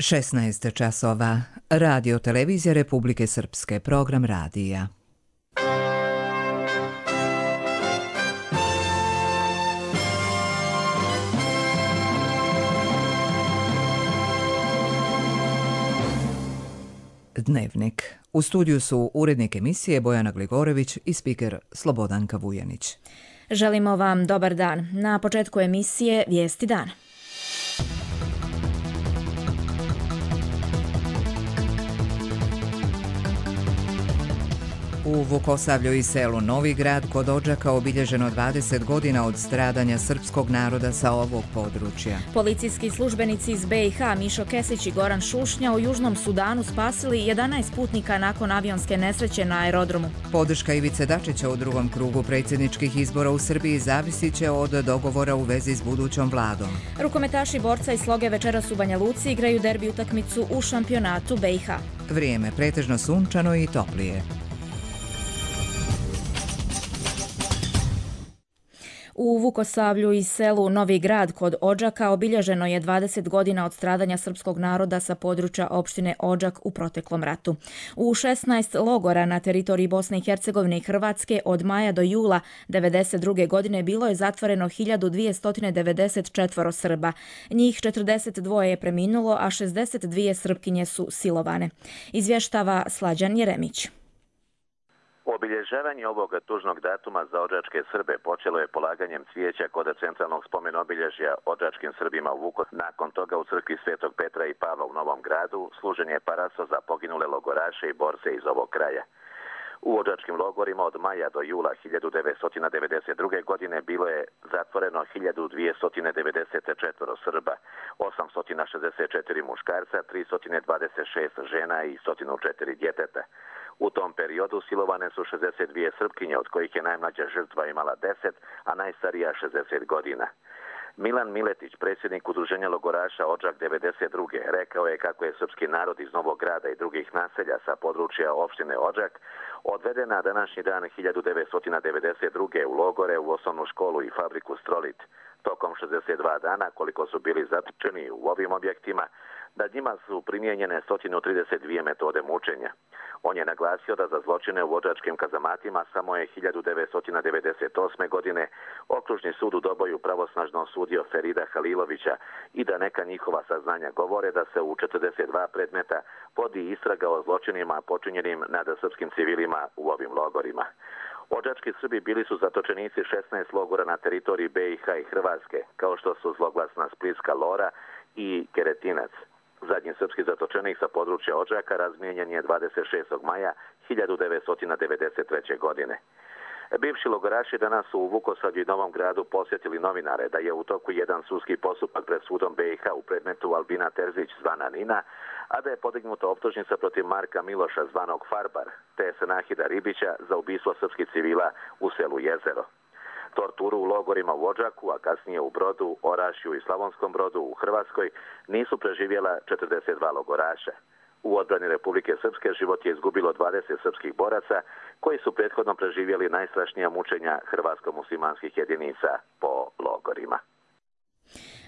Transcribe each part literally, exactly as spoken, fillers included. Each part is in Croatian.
šesnaest časova. Radio Televizija Republike Srpske. Program radija. Dnevnik. U studiju su urednik emisije Bojana Gligorović i spiker Slobodanka Vujanić. Želimo vam dobar dan. Na početku emisije Vijesti dana. U Vukosavlju i selu Novi Grad kod Odžaka obilježeno dvadeset godina od stradanja srpskog naroda sa ovog područja. Policijski službenici iz B i H Mišo Kesić i Goran Šušnja u Južnom Sudanu spasili jedanaest putnika nakon avionske nesreće na aerodromu. Podrška Ivice Dačića u drugom krugu predsjedničkih izbora u Srbiji zavisit će od dogovora u vezi s budućom vladom. Rukometaši Borca i Sloge večeras u Banja Luci igraju derbi utakmicu u šampionatu B i H. Vrijeme pretežno sunčano i toplije. U Vukosavlju i selu Novi Grad kod Odžaka obilježeno je dvadeset godina od stradanja srpskog naroda sa područja opštine Odžak u proteklom ratu. U šesnaest logora na teritoriji Bosne i Hercegovine i Hrvatske od maja do jula devedeset druge godine bilo je zatvoreno hiljadu dvjesto devedeset četiri Srba. Njih četrdeset dva je preminulo, a šezdeset dvije Srpkinje su silovane. Izvještava Slađan Jeremić. Obilježavanje ovog tužnog datuma za odžačke Srbe počelo je polaganjem cvijeća kod centralnog spomen obilježja odžačkim Srbima u Vukosaru. Nakon toga u crkvi Svetog Petra i Pavla u Novom Gradu služen je paraso za poginule logoraše i borce iz ovog kraja. U odžačkim logorima od maja do jula hiljadu devetsto devedeset druge. godine bilo je zatvoreno hiljadu dvjesto devedeset četiri Srba, osamsto šezdeset četiri muškarca, tristo dvadeset šest žena i sto četiri djeteta. U tom periodu silovane su šezdeset dvije Srpkinje, od kojih je najmlađa žrtva imala deset, a najstarija šezdeset godina. Milan Miletić, predsjednik udruženja logoraša Odžak devedeset druge. rekao je kako je srpski narod iz Novog Grada i drugih naselja sa područja opštine Odžak odveden na današnji dan hiljadu devetsto devedeset druge. u logore, u osnovnu školu i fabriku Strolit. Tokom šezdeset dva dana, koliko su bili zatočeni u ovim objektima, nad njima su primijenjene sto trideset dvije metode mučenja. On je naglasio da za zločine u odžačkim kazamatima samo je hiljadu devetsto devedeset osme. godine okružni sud u Doboju pravosnažno osudio Ferida Halilovića i da neka njihova saznanja govore da se u četrdeset dva predmeta vodi istraga o zločinima počinjenim nad srpskim civilima u ovim logorima. Odžački Srbi bili su zatočenici šesnaest logora na teritoriji B i H i Hrvatske, kao što su zloglasna Splitska Lora i Keretinac. Zadnji srpski zatočenik sa područja Odžaka razmijenjen je dvadeset šestog maja hiljadu devetsto devedeset treće. godine. Bivši logoraši danas su u Vukosavlju i Novom Gradu posjetili novinare da je u toku jedan sudski postupak pred sudom B i H u predmetu Albina Terzić zvana Nina, a da je podignuta optužnica protiv Marka Miloša zvanog Farbar, te Senahida Ribića za ubistvo srpskih civila u selu Jezero. Torturu u logorima u Odžaku, a kasnije u Brodu, Orašju i Slavonskom Brodu u Hrvatskoj nisu preživjela četrdeset dva logoraša. U odbrani Republike Srpske život je izgubilo dvadeset srpskih boraca koji su prethodno preživjeli najstrašnija mučenja hrvatsko-muslimanskih jedinica po logorima.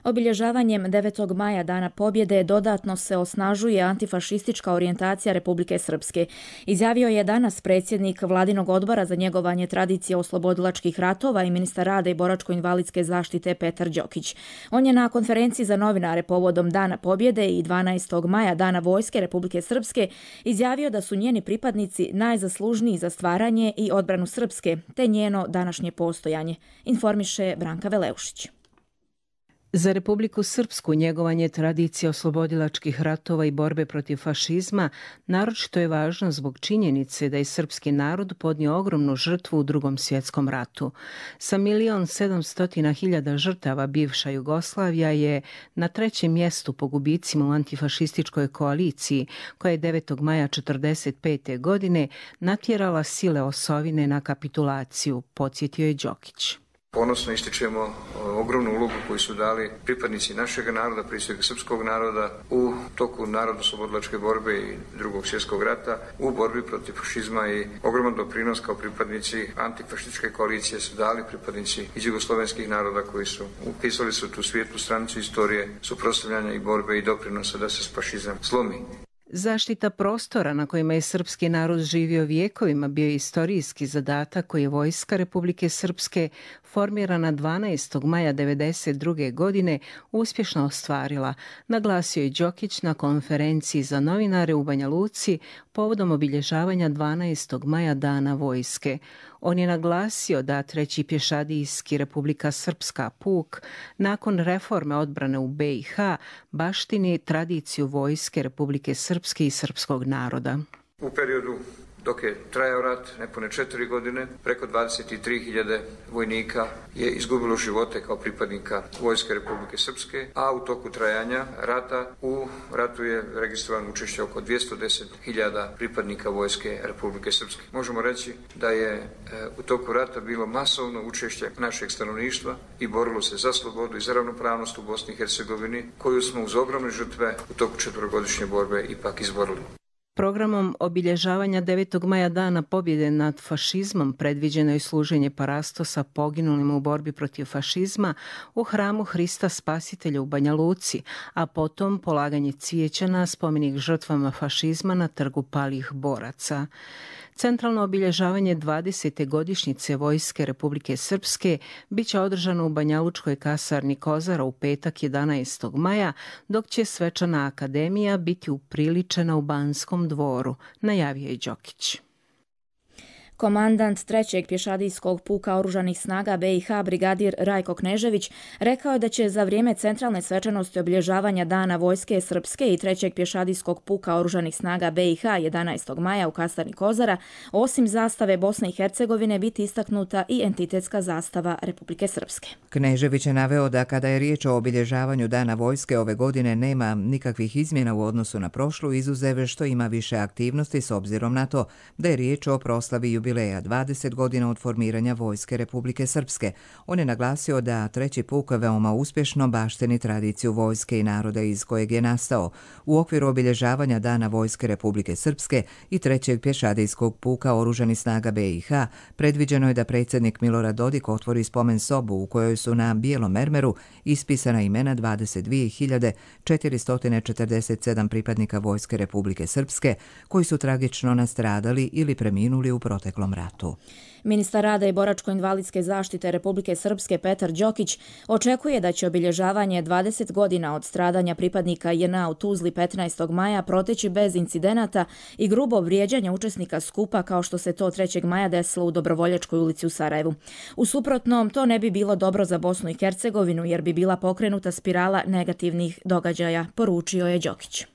Obilježavanjem devetog maja Dana pobjede dodatno se osnažuje antifašistička orijentacija Republike Srpske. Izjavio je danas predsjednik Vladinog odbora za njegovanje tradicije oslobodilačkih ratova i ministar rada i boračko-invalidske zaštite Petar Đokić. On je na konferenciji za novinare povodom Dana pobjede i dvanaestog maja Dana vojske Republike Srpske izjavio da su njeni pripadnici najzaslužniji za stvaranje i odbranu Srpske, te njeno današnje postojanje, informiše Branka Veleušić. Za Republiku Srpsku njegovanje tradicije oslobodilačkih ratova i borbe protiv fašizma naročito je važno zbog činjenice da je srpski narod podnio ogromnu žrtvu u Drugom svjetskom ratu. Sa milion sedamstotina hiljada žrtava bivša Jugoslavija je na trećem mjestu po gubicima u antifašističkoj koaliciji koja je devetog maja četrdeset pete. godine natjerala sile osovine na kapitulaciju, podsjetio je Đokić. Ponosno ističemo ogromnu ulogu koju su dali pripadnici našeg naroda, prije svega srpskog naroda, u toku narodno-oslobodilačke borbe i drugog svjetskog rata, u borbi protiv fašizma i ogroman doprinos kao pripadnici antifašističke koalicije su dali pripadnici iz jugoslovenskih naroda koji su upisali su tu svijetlu stranicu istorije suprotstavljanja i borbe i doprinosa da se fašizam slomi. Zaštita prostora na kojima je srpski narod živio vijekovima bio je istorijski zadatak koji je Vojska Republike Srpske, formirana dvanaestog maja devedeset druge. godine, uspješno ostvarila, naglasio je Đokić na konferenciji za novinare u Banja Luci povodom obilježavanja dvanaestog maja Dana vojske. On je naglasio da treći pješadijski Republika Srpska puk nakon reforme odbrane u be i ha baštini tradiciju Vojske Republike Srpske i srpskog naroda. U periodu dok je trajao rat, nepune četiri godine, preko dvadeset tri hiljade vojnika je izgubilo živote kao pripadnika Vojske Republike Srpske, a u toku trajanja rata u ratu je registrovano učešće oko dvjesto deset hiljada pripadnika Vojske Republike Srpske. Možemo reći da je e, u toku rata bilo masovno učešće našeg stanovništva i borilo se za slobodu i za ravnopravnost u Bosni i Hercegovini, koju smo uz ogromne žrtve u toku četverogodišnje borbe ipak izborili. Programom obilježavanja devetog maja Dana pobjede nad fašizmom predviđeno je služenje parastosa poginulim u borbi protiv fašizma u hramu Hrista Spasitelja u Banja Luci, a potom polaganje cvijeća na spomenik žrtvama fašizma na trgu palih boraca. Centralno obilježavanje dvadesete godišnjice Vojske Republike Srpske bit će održano u Banjalučkoj kasarni Kozara u petak jedanaestog maja, dok će svečana akademija biti upriličena u Banskom dvoru, najavio je Đokić. Komandant trećeg pješadijskog puka oružanih snaga be i ha brigadir Rajko Knežević rekao je da će za vrijeme centralne svečanosti obilježavanja Dana Vojske Srpske i trećeg pješadijskog puka oružanih snaga be i ha jedanaestog maja u kasarni Kozara, osim zastave Bosne i Hercegovine biti istaknuta i entitetska zastava Republike Srpske. Knežević je naveo da kada je riječ o obilježavanju Dana Vojske ove godine nema nikakvih izmjena u odnosu na prošlu, izuzev što ima više aktivnosti s obzirom na to da je riječ o proslavi jubileja dvadeset godina od formiranja Vojske Republike Srpske. On je naglasio da treći puk veoma uspješno baštini tradiciju vojske i naroda iz kojeg je nastao. U okviru obilježavanja Dana Vojske Republike Srpske i trećeg pješadijskog puka oružanih snaga be i ha predviđeno je da predsjednik Milorad Dodik otvori spomen sobu u kojoj su na bijelom mermeru ispisana imena dvadeset dvije hiljade četiristo četrdeset sedam pripadnika Vojske Republike Srpske koji su tragično nastradali ili preminuli u proteklom ratu. Ministar rada i boračko-invalidske zaštite Republike Srpske Petar Đokić očekuje da će obilježavanje dvadeset godina od stradanja pripadnika je en a u Tuzli petnaestog maja proteći bez incidenata i grubo vrijeđanja učesnika skupa kao što se to trećeg maja desilo u Dobrovoljačkoj ulici u Sarajevu. U suprotnom, to ne bi bilo dobro za Bosnu i Hercegovinu jer bi bila pokrenuta spirala negativnih događaja, poručio je Đokić.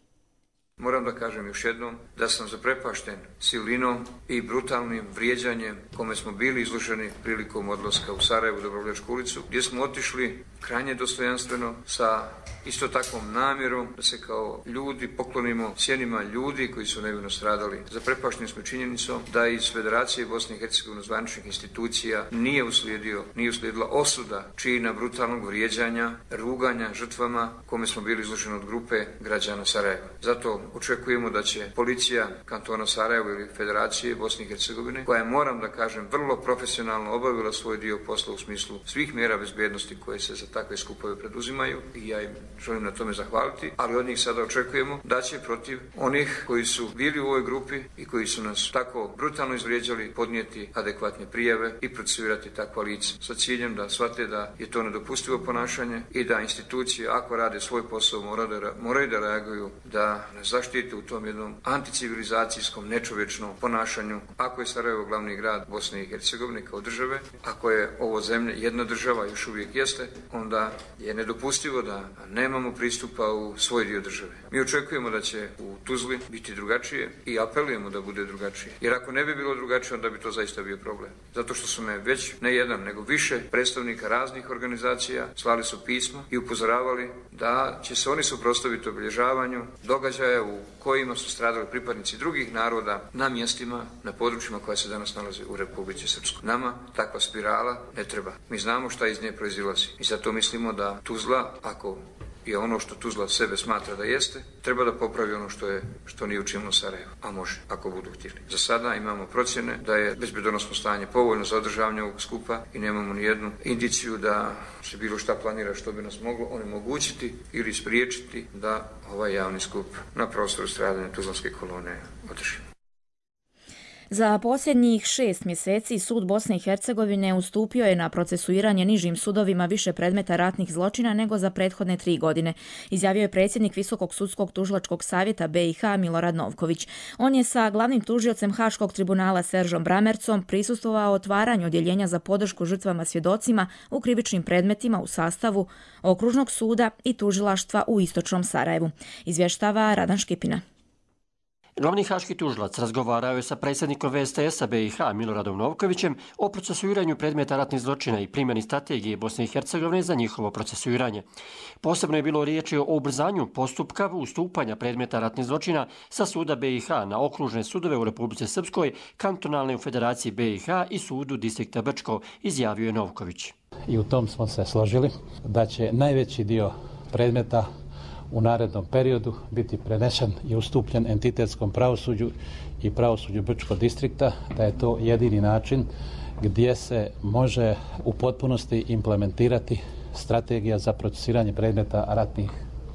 Moram da kažem još jednom da sam zaprepašten silinom i brutalnim vrijeđanjem kome smo bili izloženi prilikom odlaska u Sarajevu, Dobrovoljačku ulicu, gdje smo otišli krajnje dostojanstveno sa isto takvom namjerom da se kao ljudi poklonimo sjenima ljudi koji su nevino stradali. Zaprepašteni smo činjenicom da iz Federacije Bosne i Hercegovine zvaničnih institucija nije uslijedio, nije uslijedila osuda čina brutalnog vrijeđanja, ruganja žrtvama kome smo bili izloženi od grupe građana Sarajeva. Zato očekujemo da će policija kantona Sarajevo ili Federacije Bosne i Hercegovine, koja je, moram da kažem, vrlo profesionalno obavila svoj dio posla u smislu svih mjera bezbjednosti koje se za takve skupove preduzimaju i ja im želim na tome zahvaliti, ali od njih sada očekujemo da će protiv onih koji su bili u ovoj grupi i koji su nas tako brutalno izvrijeđali podnijeti adekvatne prijave i procesuirati takva lica sa ciljem da shvate da je to nedopustivo ponašanje i da institucije, ako rade svoj posao, moraju da, moraju da reaguju, da nas zaštite u tom jednom anticivilizacijskom, nečovječnom ponašanju. Ako je Sarajevo glavni grad Bosne i Hercegovine kao države, ako je ovo zemlja jedna država, još uvijek jeste, onda je nedopustivo da ne nemamo pristupa u svoj dio države. Mi očekujemo da će u Tuzli biti drugačije i apelujemo da bude drugačije. Jer ako ne bi bilo drugačije, onda bi to zaista bio problem. Zato što su me već ne jedan, nego više predstavnika raznih organizacija slali su pismo i upozoravali da će se oni suprotstaviti obilježavanju događaja u kojima su stradali pripadnici drugih naroda na mjestima, na područjima koja se danas nalaze u Republici Srpskoj. Nama takva spirala ne treba. Mi znamo šta iz nje proizilazi i zato mislimo da Tuzla, ako je ono što Tuzla sebe smatra da jeste, treba da popravi ono što je što nije učinilo Sarajevo, a može, ako budu htjeli. Za sada imamo procjene da je bezbjednosno stanje povoljno za održavanje ovog skupa i nemamo ni jednu indiciju da se bilo šta planira što bi nas moglo onemogućiti ili spriječiti da ovaj javni skup na prostoru stradanja Tuzlanske kolone održimo. Za posljednjih šest mjeseci sud Bosne i Hercegovine ustupio je na procesuiranje nižim sudovima više predmeta ratnih zločina nego za prethodne tri godine, izjavio je predsjednik Visokog sudskog tužilačkog savjeta B i H Milorad Novković. On je sa glavnim tužiocem Haškog tribunala Seržom Bramercom prisustvovao otvaranju odjeljenja za podršku žrtvama svjedocima u krivičnim predmetima u sastavu Okružnog suda i tužilaštva u Istočnom Sarajevu. Izvještava Radan Škipina. Glavni haški tužilac razgovarao je sa predsjednikom V S T S-a B i H Miloradom Novkovićem o procesuiranju predmeta ratnih zločina i primjeni strategije Bosne i Hercegovine za njihovo procesuiranje. Posebno je bilo riječi o ubrzanju postupka ustupanja predmeta ratnih zločina sa suda B i H na okružne sudove u Republici Srpskoj, kantonalne u Federaciji B i H i sudu distrikta Brčko, izjavio je Novković. I u tom smo se složili da će najveći dio predmeta u narednom periodu biti prenešen i ustupljen entitetskom pravosuđu i pravosuđu Brčkog distrikta, da je to jedini način gdje se može u potpunosti implementirati strategija za procesiranje predmeta ratnih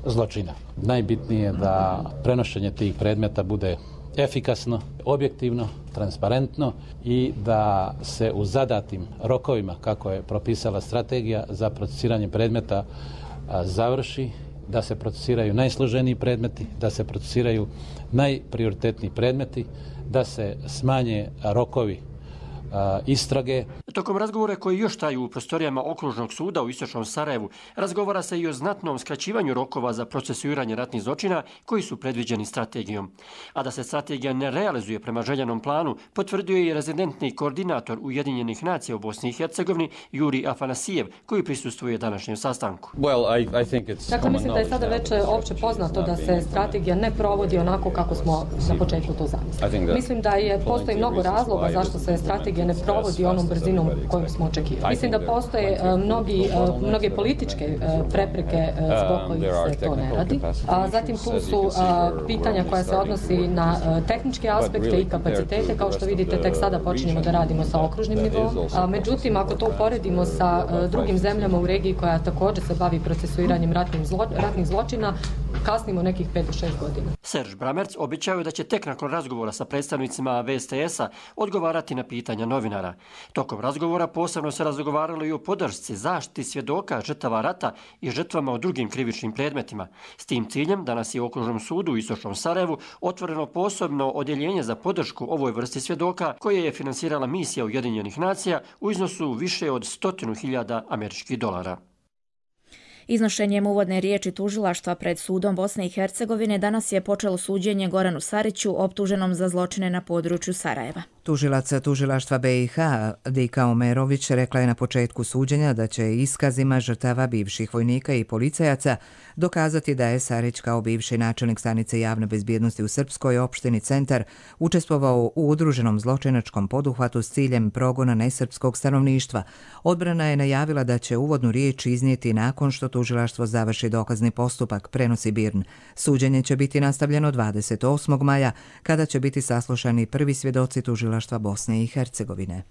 zločina. Najbitnije je da prenošenje tih predmeta bude efikasno, objektivno, transparentno i da se u zadatim rokovima, kako je propisala strategija za procesiranje predmeta, završi, da se procesiraju najsloženiji predmeti, da se procesiraju najprioritetniji predmeti, da se smanje rokovi istrage. Tokom razgovora koji još traju u prostorijama Okružnog suda u Istočnom Sarajevu razgovara se i o znatnom skraćivanju rokova za procesuiranje ratnih zločina koji su predviđeni strategijom. A da se strategija ne realizuje prema željenom planu, potvrdio je i rezidentni koordinator Ujedinjenih nacija u Bosni i Hercegovini Juri Afanasijev, koji prisustvuje današnjem sastanku. Well, I, I think it's dakle, mislim da je sada već opće poznato da se strategija ne provodi onako kako smo na početku to zamislili. Mislim da je postoji mnogo razloga zašto se strategija ne provodi onom brzinom kojom smo očekivali. Mislim da postoje uh, mnogi, uh, mnoge političke uh, prepreke uh, zbog kojih se to ne radi. A zatim tu su uh, pitanja koja se odnosi na uh, tehničke aspekte i kapacitete. Kao što vidite, tek sada počinjemo da radimo sa okružnim nivom. A, međutim, ako to uporedimo sa uh, drugim zemljama u regiji koja također se bavi procesuiranjem ratnih, zlo, ratnih zločina, kasnimo nekih pet do šest godina. Serž Bramerc obećao je da će tek nakon razgovora sa predstavnicima V S T S-a odgovarati na pitanja novinara. Tokom razgovora posebno se razgovaralo i o podršci, zaštiti svjedoka, žrtava rata i žrtvama u drugim krivičnim predmetima. S tim ciljem danas je u Okružnom sudu u Istočnom Sarajevu otvoreno posebno odjeljenje za podršku ovoj vrsti svjedoka koje je finansirala misija Ujedinjenih nacija u iznosu više od stotinu hiljada američkih dolara. Iznošenjem uvodne riječi tužilaštva pred sudom Bosne i Hercegovine danas je počelo suđenje Goranu Sariću, optuženom za zločine na području Sarajeva. Tužilac tužilaštva B i H Dika Omerović rekla je na početku suđenja da će iskazima žrtava bivših vojnika i policajaca dokazati da je Sarić kao bivši načelnik stanice javne bezbjednosti u Srpskoj opštini Centar učestvovao u udruženom zločinačkom poduhvatu s ciljem progona nesrpskog stanovništva. Odbrana je najavila da će uvodnu riječ iznijeti nakon što tužilaštvo završi dokazni postupak, prenosi Birn. Suđenje će biti nastavljeno dvadeset osmog maja, kada će biti saslušani prvi svjedoci tužilaštva Bosne i Hercegovine.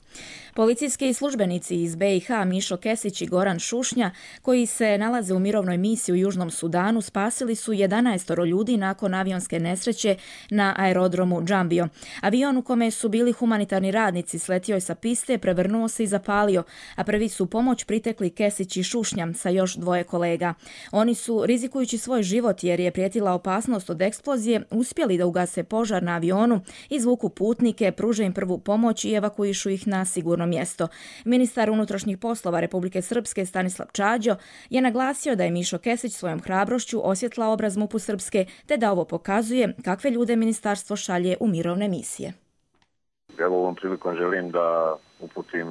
Policijski službenici iz B i H Mišo Kesić i Goran Šušnja, koji se nalaze u mirovnoj misiji u Južnom Sudanu, spasili su jedanaest ljudi nakon avionske nesreće na aerodromu Džambio. Avion u kome su bili humanitarni radnici sletio je sa piste, prevrnuo se i zapalio, a prvi su pomoć pritekli Kesić i Šušnja sa još dvoje kolega. Oni su, rizikujući svoj život jer je prijetila opasnost od eksplozije, uspjeli da ugase požar na avionu, izvuku putnike, pruže im im prvu pomoć i evakuišu ih na sigurno mjesto. Ministar unutrašnjih poslova Republike Srpske Stanislav Čađo je naglasio da je Mišo Kesić svojom hrabrošću osvjetlao obraz MUP-u Srpske, te da ovo pokazuje kakve ljude ministarstvo šalje u mirovne misije. Evo ovom prilikom želim da uputim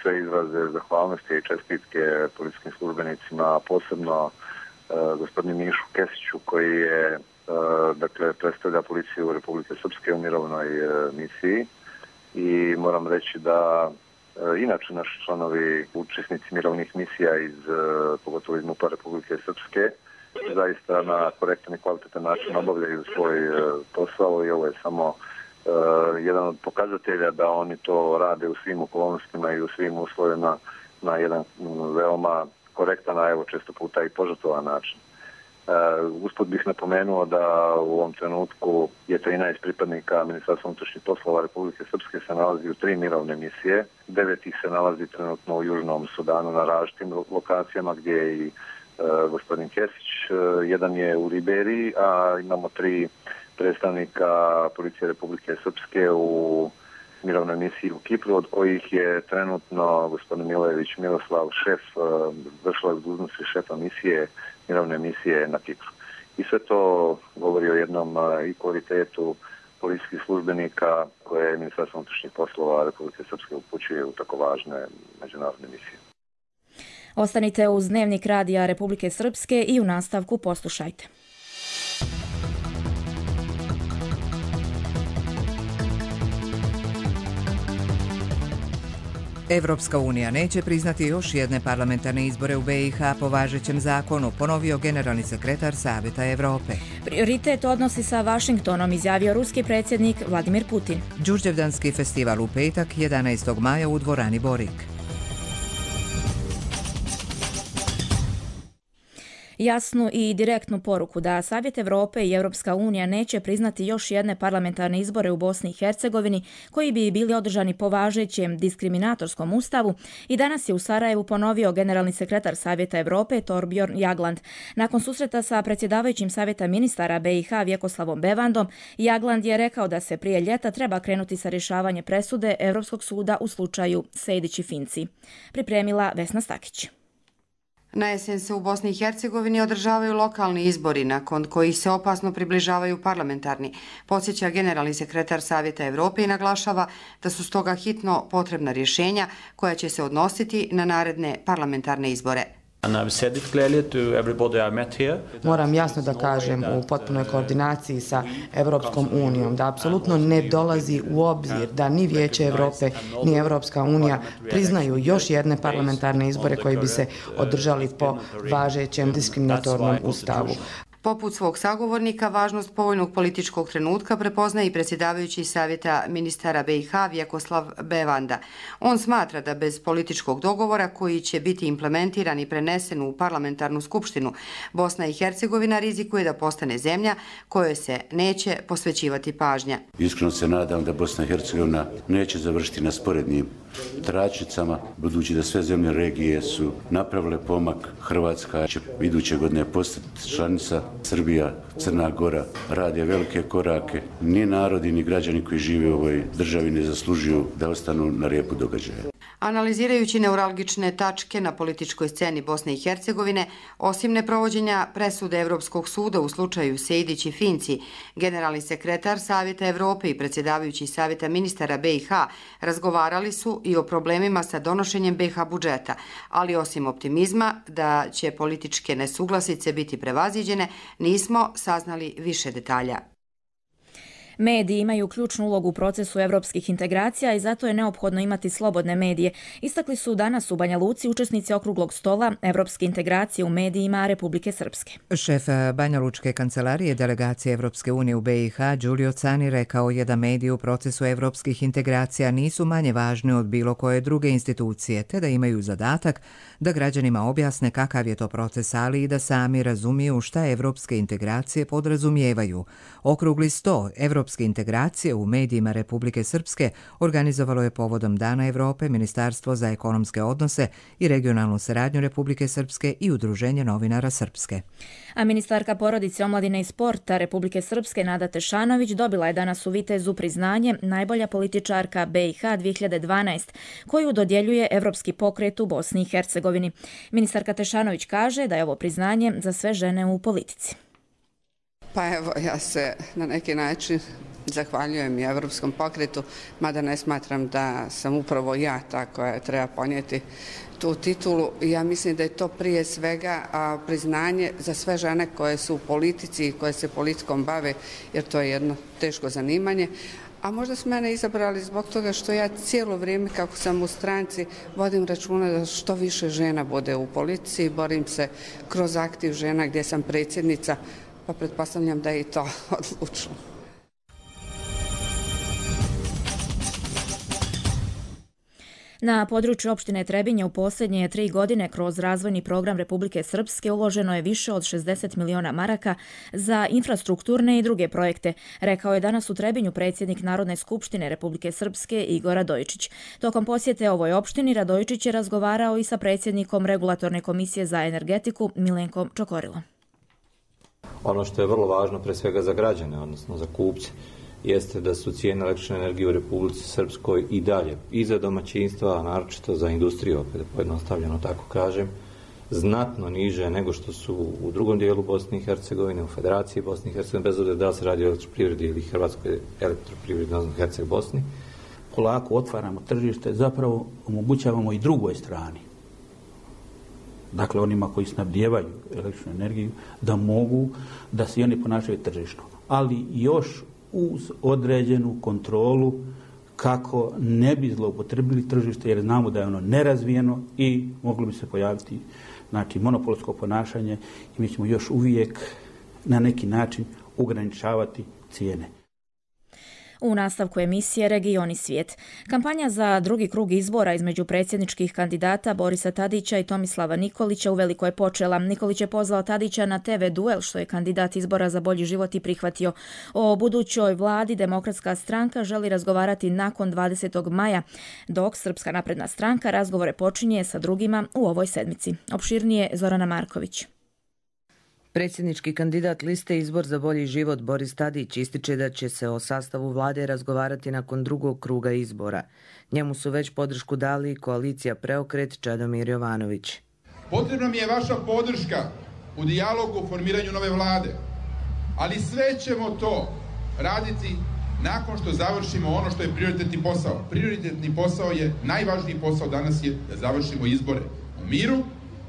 sve izraze zahvalnosti i čestitke policijskim službenicima, posebno gospodinu Mišu Kesiću koji je, dakle, predstavlja policiju Republike Srpske u mirovnoj misiji i moram reći da inače naši članovi, učesnici mirovnih misija iz, pogotovo iz MUP-a Republike Srpske, zaista na korektan i kvalitetan način obavljaju svoj posao i ovo je samo Uh, jedan od pokazatelja da oni to rade u svim okolnostima i u svim uslovima na jedan um, veoma korektan, a evo često puta i požrtvovan način. Uh, usput bih napomenuo da u ovom trenutku je trinaest pripadnika Ministarstva unutrašnjih poslova Republike Srpske se nalazi u tri mirovne misije, devet ih se nalazi trenutno u Južnom Sudanu na različitim lokacijama gdje je i uh, gospodin Kesić, uh, jedan je u Liberiji, a imamo tri predstavnika policije Republike Srpske u mirovnoj misiji u Kipru, od kojih je trenutno gospodin Milojević Miroslav, šef, vršilac dužnosti šefa misije, mirovne misije na Kipru. I sve to govori o jednom i kvalitetu policijskih službenika koje Ministarstvo unutrašnjih poslova Republike Srpske upućuje u tako važne međunarodne misije. Ostanite uz Dnevnik radija Republike Srpske i u nastavku poslušajte. Evropska unija neće priznati još jedne parlamentarne izbore u be i ha po važećem zakonu, ponovio generalni sekretar Savjeta Evrope. Prioritet odnosi sa Vašingtonom, izjavio ruski predsjednik Vladimir Putin. Đurđevdanski festival u petak, jedanaestog maja u dvorani Borik. Jasnu i direktnu poruku da Savjet Evrope i Europska unija neće priznati još jedne parlamentarne izbore u Bosni i Hercegovini koji bi bili održani po važećem diskriminatorskom ustavu i danas je u Sarajevu ponovio generalni sekretar Savjeta Evrope Torbjorn Jagland. Nakon susreta sa predsjedavajućim Savjeta ministara be i ha Vjekoslavom Bevandom, Jagland je rekao da se prije ljeta treba krenuti sa rješavanje presude Europskog suda u slučaju Sejdić i Finci. Pripremila Vesna Stakić. Na jesen se u Bosni i Hercegovini održavaju lokalni izbori, nakon kojih se opasno približavaju parlamentarni, podsjeća generalni sekretar Savjeta Evrope i naglašava da su stoga hitno potrebna rješenja koja će se odnositi na naredne parlamentarne izbore. Moram jasno da kažem u potpunoj koordinaciji sa Evropskom unijom da apsolutno ne dolazi u obzir da ni Vijeće Evrope ni Evropska unija priznaju još jedne parlamentarne izbore koji bi se održali po važećem diskriminatornom ustavu. Poput svog sagovornika, važnost povoljnog političkog trenutka prepoznaje i predsjedavajući Savjeta ministara be i ha Vjekoslav Bevanda. On smatra da bez političkog dogovora koji će biti implementiran i prenesen u parlamentarnu skupštinu, Bosna i Hercegovina rizikuje da postane zemlja kojoj se neće posvećivati pažnja. Iskreno se nadam da Bosna i Hercegovina neće završiti na sporednim tračnicama, budući da sve zemlje regije su napravile pomak. Hrvatska će iduće godine postati članica, Srbija, Crna Gora rade velike korake. Ni narodi, ni građani koji žive u ovoj državi ne zaslužuju da ostanu na repu događaja. Analizirajući neuralgične tačke na političkoj sceni Bosne i Hercegovine, osim neprovođenja presude Evropskog suda u slučaju Sejdić i Finci, generalni sekretar Savjeta Evrope i predsjedavajući Savjeta ministara be i ha razgovarali su i o problemima sa donošenjem be ha budžeta, ali osim optimizma da će političke nesuglasice biti prevaziđene, nismo saznali više detalja. Mediji imaju ključnu ulogu u procesu evropskih integracija i zato je neophodno imati slobodne medije. Istakli su danas u Banja Luci učesnici okruglog stola Evropske integracije u medijima Republike Srpske. Šef Banja Lučke kancelarije delegacije Evropske unije u be i ha Đulio Cani rekao je da mediji u procesu evropskih integracija nisu manje važni od bilo koje druge institucije, te da imaju zadatak da građanima objasne kakav je to proces, ali i da sami razumiju šta evropske integracije podrazumijevaju. Okrugli sto Evropske evropske integracije u medijima Republike Srpske organizovalo je povodom Dana Evrope Ministarstvo za ekonomske odnose i regionalnu saradnju Republike Srpske i Udruženje novinara Srpske. A ministarka porodice, omladine i sporta Republike Srpske Nada Tešanović dobila je danas u Vitezu priznanje najbolja političarka B i H dvije hiljade dvanaeste, koju dodjeljuje Evropski pokret u Bosni i Hercegovini. Ministarka Tešanović kaže da je ovo priznanje za sve žene u politici. Pa evo, ja se na neki način zahvaljujem i Evropskom pokretu, mada ne smatram da sam upravo ja ta koja treba ponijeti tu titulu. Ja mislim da je to prije svega a, priznanje za sve žene koje su u politici i koje se politikom bave, jer to je jedno teško zanimanje. A možda su mene izabrali zbog toga što ja cijelo vrijeme kako sam u stranci vodim računa da što više žena bude u politici, borim se kroz aktiv žena gdje sam predsjednica, pa pretpostavljam da je i to odlučilo. Na području opštine Trebinje u posljednje tri godine kroz razvojni program Republike Srpske uloženo je više od šezdeset miliona maraka za infrastrukturne i druge projekte, rekao je danas u Trebinju predsjednik Narodne skupštine Republike Srpske Igor Radojičić. Tokom posjete ovoj opštini Radojičić je razgovarao i sa predsjednikom Regulatorne komisije za energetiku Milenkom Čokorilom. Ono što je vrlo važno pre svega za građane, odnosno za kupce, jeste da su cijene električne energije u Republici Srpskoj i dalje, i za domaćinstva, a naročito za industriju, opet pojednostavljeno tako kažem, znatno niže nego što su u drugom dijelu Bosne i Hercegovine, u Federaciji Bosne i Hercegovine, bez obzira da li se radi o elektroprivredi ili Hrvatskoj elektroprivredi, odnosno Herceg Bosni. Polako otvaramo tržište, zapravo omogućavamo i drugoj strani, dakle onima koji snabdijevaju električnu energiju, da mogu da se i oni ponašaju tržišno, ali još uz određenu kontrolu kako ne bi zloupotrebili tržište, jer znamo da je ono nerazvijeno i moglo bi se pojaviti znači, monopolsko ponašanje i mi ćemo još uvijek na neki način ograničavati cijene. U nastavku emisije Region i svijet. Kampanja za drugi krug izbora između predsjedničkih kandidata Borisa Tadića i Tomislava Nikolića uveliko je počela. Nikolić je pozvao Tadića na te ve duel, što je kandidat izbora za bolji život i prihvatio. O budućoj vladi Demokratska stranka želi razgovarati nakon dvadesetog maja, dok Srpska napredna stranka razgovore počinje sa drugima u ovoj sedmici. Opširnije Zorana Marković. Predsjednički kandidat liste Izbor za bolji život Boris Tadić ističe da će se o sastavu vlade razgovarati nakon drugog kruga izbora. Njemu su već podršku dali koalicija Preokret Čedomir Jovanović. Potrebna mi je vaša podrška u dijalogu o formiranju nove vlade, ali sve ćemo to raditi nakon što završimo ono što je prioritetni posao. Prioritetni posao je, najvažniji posao danas je da završimo izbore u miru,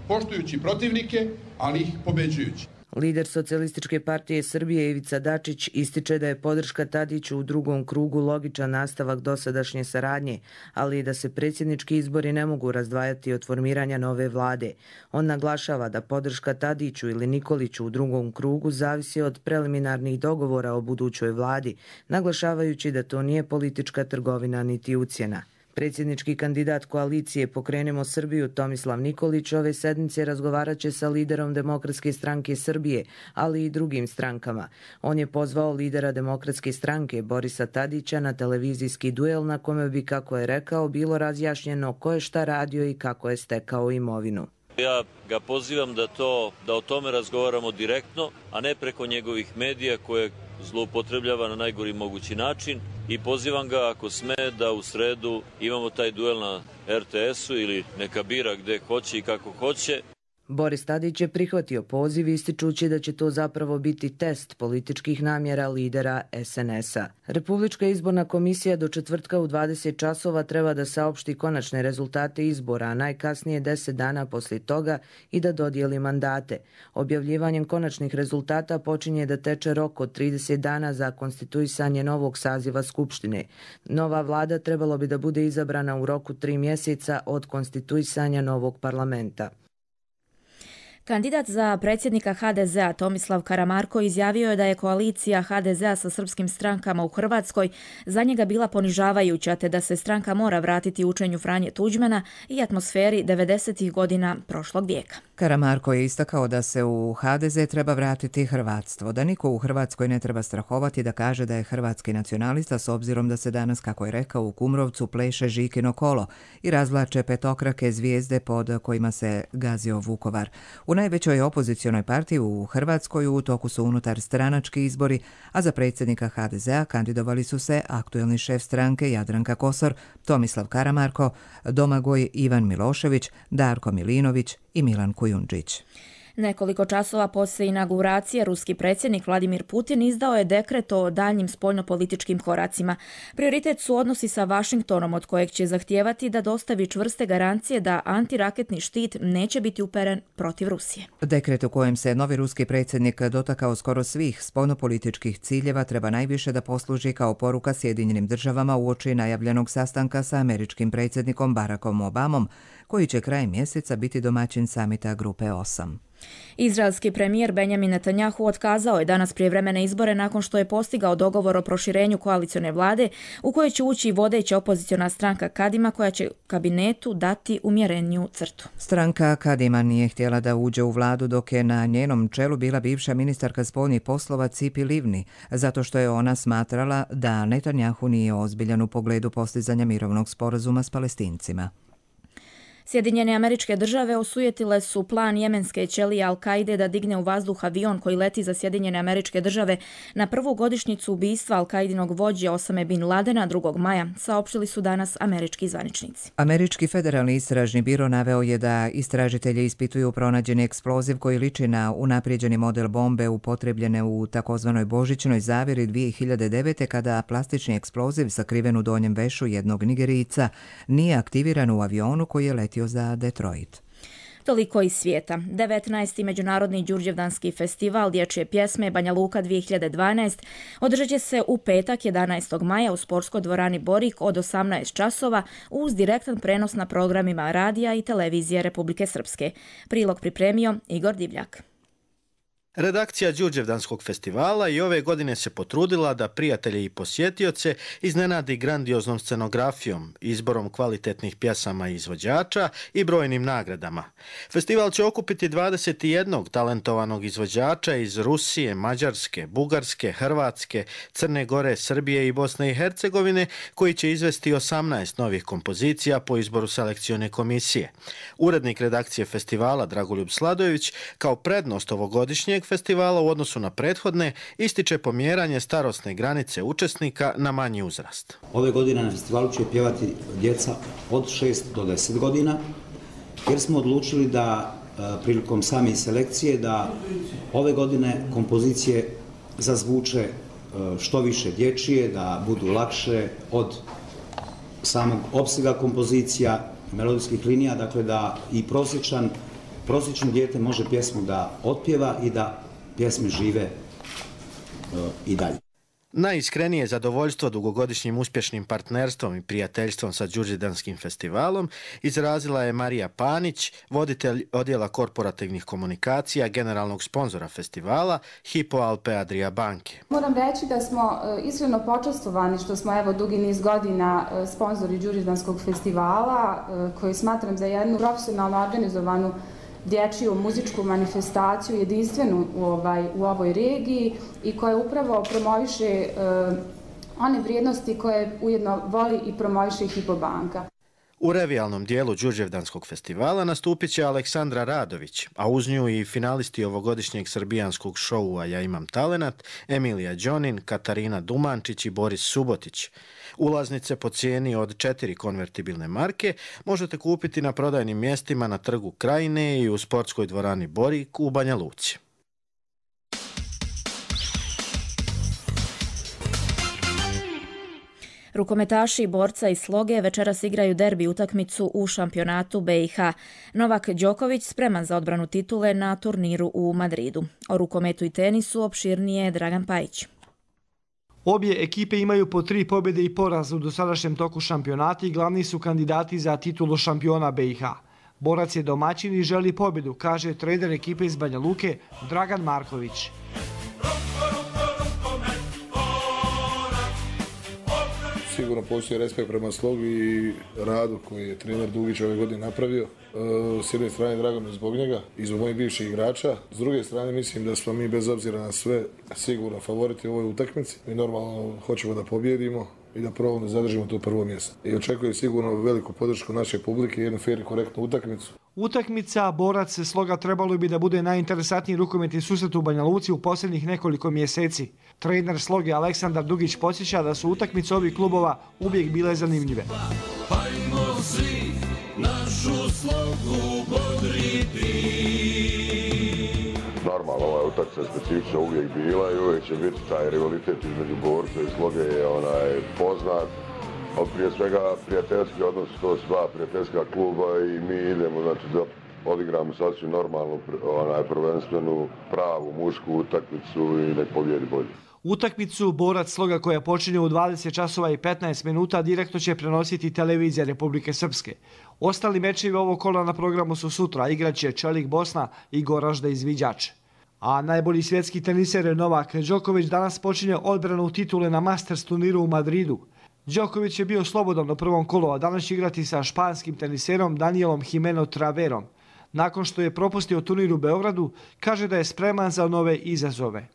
poštujući protivnike, ali ih pobeđujući. Lider Socijalističke partije Srbije Ivica Dačić ističe da je podrška Tadiću u drugom krugu logičan nastavak dosadašnje saradnje, ali i da se predsjednički izbori ne mogu razdvajati od formiranja nove vlade. On naglašava da podrška Tadiću ili Nikoliću u drugom krugu zavisi od preliminarnih dogovora o budućoj vladi, naglašavajući da to nije politička trgovina niti ucjena. Predsjednički kandidat koalicije Pokrenemo Srbiju Tomislav Nikolić ove sedmice razgovarat će sa liderom Demokratske stranke Srbije, ali i drugim strankama. On je pozvao lidera Demokratske stranke Borisa Tadića na televizijski duel na kome bi, kako je rekao, bilo razjašnjeno ko je šta radio i kako je stekao imovinu. Ja ga pozivam da, to, da o tome razgovaramo direktno, a ne preko njegovih medija koje zloupotrebljava na najgori mogući način, i pozivam ga, ako sme, da u sredu imamo taj duel na er te esu ili neka bira gde hoće i kako hoće. Boris Tadić je prihvatio poziv ističući da će to zapravo biti test političkih namjera lidera es en esa. Republička izborna komisija do četvrtka u dvadeset časova treba da saopšti konačne rezultate izbora, a najkasnije deset dana poslije toga i da dodijeli mandate. Objavljivanjem konačnih rezultata počinje da teče rok od trideset dana za konstituisanje novog saziva Skupštine. Nova vlada trebalo bi da bude izabrana u roku tri mjeseca od konstituisanja novog parlamenta. Kandidat za predsjednika ha de zea Tomislav Karamarko izjavio je da je koalicija ha de zea sa srpskim strankama u Hrvatskoj za njega bila ponižavajuća, te da se stranka mora vratiti učenju Franje Tuđmana i atmosferi devedesetih godina prošlog vijeka. Karamarko je istakao da se u ha de ze treba vratiti hrvatstvo, da niko u Hrvatskoj ne treba strahovati da kaže da je hrvatski nacionalista s obzirom da se danas, kako je rekao, u Kumrovcu pleše Žikino kolo i razvlače petokrake zvijezde pod kojima se gazio Vukovar. U najvećoj opozicionoj partiji u Hrvatskoj u toku su unutar stranački izbori, a za predsjednika ha de zea kandidovali su se aktuelni šef stranke Jadranka Kosor, Tomislav Karamarko, Domagoj Ivan Milošević, Darko Milinović i Milan Kujundžić. Nekoliko časova poslije inauguracije ruski predsjednik Vladimir Putin izdao je dekret o daljnjim spoljnopolitičkim koracima. Prioritet su odnosi sa Vašingtonom, od kojeg će zahtijevati da dostavi čvrste garancije da antiraketni štit neće biti uperen protiv Rusije. Dekret u kojem se novi ruski predsjednik dotakao skoro svih spoljnopolitičkih ciljeva treba najviše da posluži kao poruka Sjedinjenim državama uoči najavljenog sastanka sa američkim predsjednikom Barackom Obamom, koji će krajem mjeseca biti domaćin samita Grupe osam. Izraelski premijer Benjamin Netanjahu otkazao je danas prijevremene izbore nakon što je postigao dogovor o proširenju koalicione vlade u kojoj će ući vodeća opoziciona stranka Kadima, koja će kabinetu dati umjereniju crtu. Stranka Kadima nije htjela da uđe u vladu dok je na njenom čelu bila bivša ministarka spoljnih poslova Tzipi Livni, zato što je ona smatrala da Netanjahu nije ozbiljan u pogledu postizanja mirovnog sporazuma s Palestincima. Sjedinjene Američke Države osujetile su plan jemenske ćelije Al-Kaide da digne u vazduh avion koji leti za Sjedinjene Američke Države na prvu godišnjicu ubistva Al-Kaidinog vođe Osame bin Ladena drugog maja, saopštili su danas američki zvaničnici. Američki federalni istražni biro naveo je da istražitelji ispituju pronađeni eksploziv koji liči na unaprijeđeni model bombe upotrebljene u takozvanoj božićnoj zavjeri dvije hiljade devete kada plastični eksploziv sakriven u donjem vešu jednog Nigerijca nije aktiviran u avionu koji je letio za Detroit. Toliko iz svijeta. devetnaesti. Međunarodni Đurđevdanski festival dječje pjesme Banja Luka dvije hiljade dvanaest održat će se u petak jedanaestog maja u sportskoj dvorani Borik od osamnaest časova uz direktan prenos na programima radija i televizije Republike Srpske. Prilog pripremio Igor Divljak. Redakcija Đurđevdanskog festivala i ove godine se potrudila da prijatelje i posjetioce iznenadi grandioznom scenografijom, izborom kvalitetnih pjesama i izvođača i brojnim nagradama. Festival će okupiti dvadeset jedan talentovanog izvođača iz Rusije, Mađarske, Bugarske, Hrvatske, Crne Gore, Srbije i Bosne i Hercegovine, koji će izvesti osamnaest novih kompozicija po izboru selekcione komisije. Urednik redakcije festivala Dragoljub Sladojević kao prednost ovogodišnjeg festivala u odnosu na prethodne ističe pomjeranje starosne granice učesnika na manji uzrast. Ove godine na festivalu će pjevati djeca od šest do deset godina, jer smo odlučili da prilikom same selekcije da ove godine kompozicije zazvuče što više dječije, da budu lakše od samog opsega kompozicija, melodijskih linija, dakle da i prosječan prosječno dijete može pjesmu da otpjeva i da pjesme žive uh, i dalje. Najiskrenije zadovoljstvo dugogodišnjim uspješnim partnerstvom i prijateljstvom sa Đurđevdanskim festivalom izrazila je Marija Panić, voditelj odjela korporativnih komunikacija, generalnog sponzora festivala Hypo Alpe Adria banke. Moram reći da smo iskreno počastovani što smo evo dugi niz godina sponzori Đurđevdanskog festivala, koji smatram za jednu profesionalno organizovanu dječju muzičku manifestaciju jedinstvenu u, ovaj, u ovoj regiji i koja upravo promoviše e, one vrijednosti koje ujedno voli i promoviše Hypo banka. U revijalnom dijelu Đurđevdanskog festivala nastupit će Aleksandra Radović, a uz nju i finalisti ovogodišnjeg srbijanskog šoua Ja imam talenat, Emilija Đonin, Katarina Dumančić i Boris Subotić. Ulaznice po cijeni od četiri konvertibilne marke možete kupiti na prodajnim mjestima na Trgu Krajine i u sportskoj dvorani Borik u Banja Luci. Rukometaši borca iz Sloge večeras igraju derbi utakmicu u šampionatu be i ha. Novak Đoković spreman za odbranu titule na turniru u Madridu. O rukometu i tenisu opširnije Dragan Pajić. Obje ekipe imaju po tri pobjede i poraz u dosadašnjem toku šampionata i glavni su kandidati za titulu šampiona be i ha. Borac je domaćin i želi pobjedu, kaže trener ekipe iz Banja Luke Dragan Marković. Sigurno postoji respekt prema slogu i radu koji je trener Dugić ove godine napravio. S jedne strane drago mi zbog njega i zbog mojih bivših igrača. S druge strane mislim da smo mi bez obzira na sve sigurno favoriti u ovoj utakmici. Mi normalno hoćemo da pobjedimo i da probamo da zadržimo to prvo mjesto. I očekujem sigurno veliku podršku naše publike i jednu fer i korektnu utakmicu. Utakmica Borac Sloga trebalo bi da bude najinteresantniji rukometni susret u Banja Luci u posljednjih nekoliko mjeseci. Trener Sloge Aleksandar Dugić podsjeća da su utakmice ovih klubova uvijek bile zanimljive. Hajmo svi našu Slogu bodriti. Normalno, ova utakmica specifična uvijek bila i uvijek će biti taj rivalitet između Borca i Sloge je onaj poznat. Ali prije svega prijateljski odnos, to su dva prijateljska kluba i mi idemo, znači da odigramo sasvim normalnu, onaj prvenstvenu, pravu, mušku utakmicu i nek pobjedi bolje. Utakmicu Borac Sloga koja počinje u dvadeset časova i petnaest minuta direktno će prenositi televizija Republike Srpske. Ostali mečevi ovog kola na programu su sutra, igraće Čelik Bosna i Goražde Izviđač. A najbolji svjetski teniser Novak Đoković danas počinje odbranu titule na Masters turniru u Madridu. Đoković je bio slobodan u prvom kolu, a danas će igrati sa španskim teniserom Danielom Jimeno Traverom. Nakon što je propustio turnir u Beogradu, kaže da je spreman za nove izazove.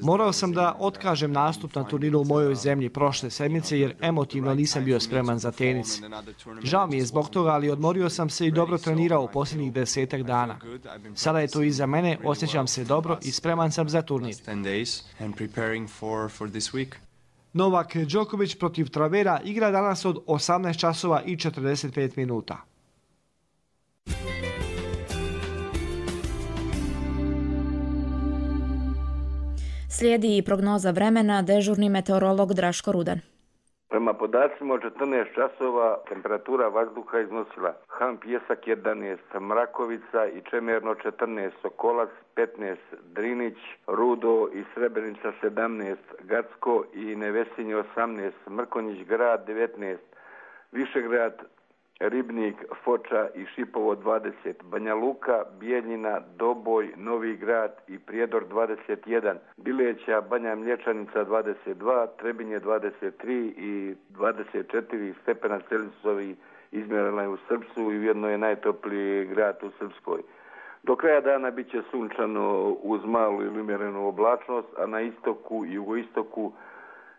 Morao sam da otkažem nastup na turniru u mojoj zemlji prošle sedmice jer emotivno nisam bio spreman za tenis. Žao mi je zbog toga, ali odmorio sam se i dobro trenirao u posljednjih desetak dana. Sada je to iza mene, osjećam se dobro i spreman sam za turnir. Novak Đoković protiv Travera igra danas od osamnaest časova i četrdeset pet minuta. Slijedi i prognoza vremena, dežurni meteorolog Draško Rudan. Prema podacima od četrnaest časova temperatura vazduha iznosila Han Pjesak jedanaest, Mrakovica i Čemerno četrnaest, Sokolac petnaest, Drinić, Rudo i Srebrenica sedamnaest, Gacko i Nevesinje osamnaest, Mrkonjić grad devetnaest, Višegrad, Ribnik, Foča i Šipovo dvadeset, Banja Luka, Bijeljina, Doboj, Novi grad i Prijedor dvadeset jedan, Bileća, Banja Mlječanica dvadeset dva, Trebinje dvadeset tri i dvadeset četiri stepena Celzijusovi izmjerena je u Srpsu i ujedno je najtopliji grad u Srpskoj. Do kraja dana bit će sunčano uz malu ili umjerenu oblačnost, a na istoku i jugoistoku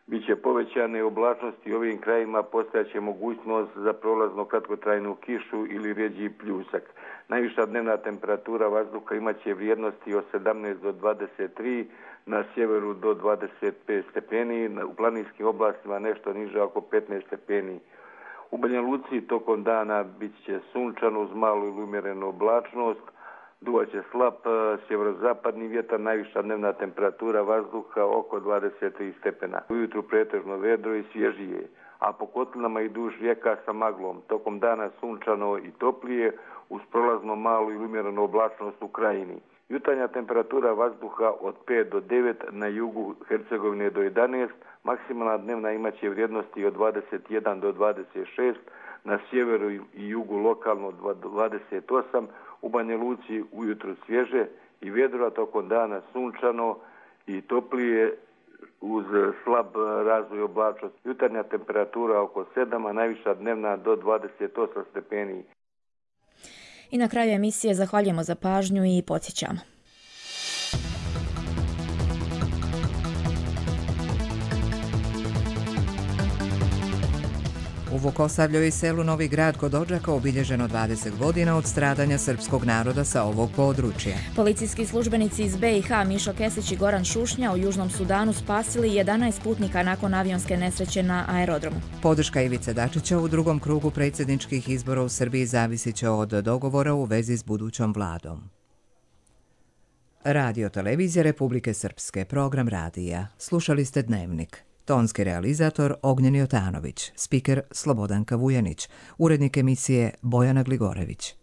biće povećane oblačnosti, u ovim krajima postojaće mogućnost za prolazno kratkotrajnu kišu ili rjeđi pljusak. Najviša dnevna temperatura vazduha imaće vrijednosti od sedamnaest do dvadeset tri, na sjeveru do dvadeset pet stepeni, u planinskim oblastima nešto niže oko petnaest stepeni. U Banja Luci tokom dana bit će sunčano uz malu ili umjerenu oblačnost, duvaće slab sjeverozapadni vjetar, najviša dnevna temperatura vazduha oko dvadeset tri stepena. Ujutru pretežno vedro i svježije, a po kotlinama i duž rijeka sa maglom. Tokom dana sunčano i toplije uz prolazno malu ili umjerenu oblačnost u krajini. Jutarnja temperatura vazduha od pet do devet, na jugu Hercegovine do jedanaest, maksimalna dnevna imaće vrijednosti od dvadeset jedan do dvadeset šest, na sjeveru i jugu lokalno dvadeset osam, u Banja Luci ujutru svježe i vjedro, a tokom dana sunčano i toplije uz slab razvoj oblačnosti. Jutarnja temperatura oko sedam, a najviša dnevna do dvadeset osam stepeni. I na kraju emisije zahvaljujemo za pažnju i podsjećamo. U Vukosavlju i selu Novi grad kod Odžaka obilježeno dvadeset godina od stradanja srpskog naroda sa ovog područja. Policijski službenici iz be i ha Mišo Kesić i Goran Šušnja u Južnom Sudanu spasili jedanaest putnika nakon avionske nesreće na aerodromu. Podrška Ivice Dačića u drugom krugu predsjedničkih izbora u Srbiji zavisit će od dogovora u vezi s budućom vladom. Radio Televizija Republike Srpske, program radija. Slušali ste Dnevnik. Tonski realizator Ognjen Jotanović, spiker Slobodanka Vujanić, urednik emisije Bojana Gligorević.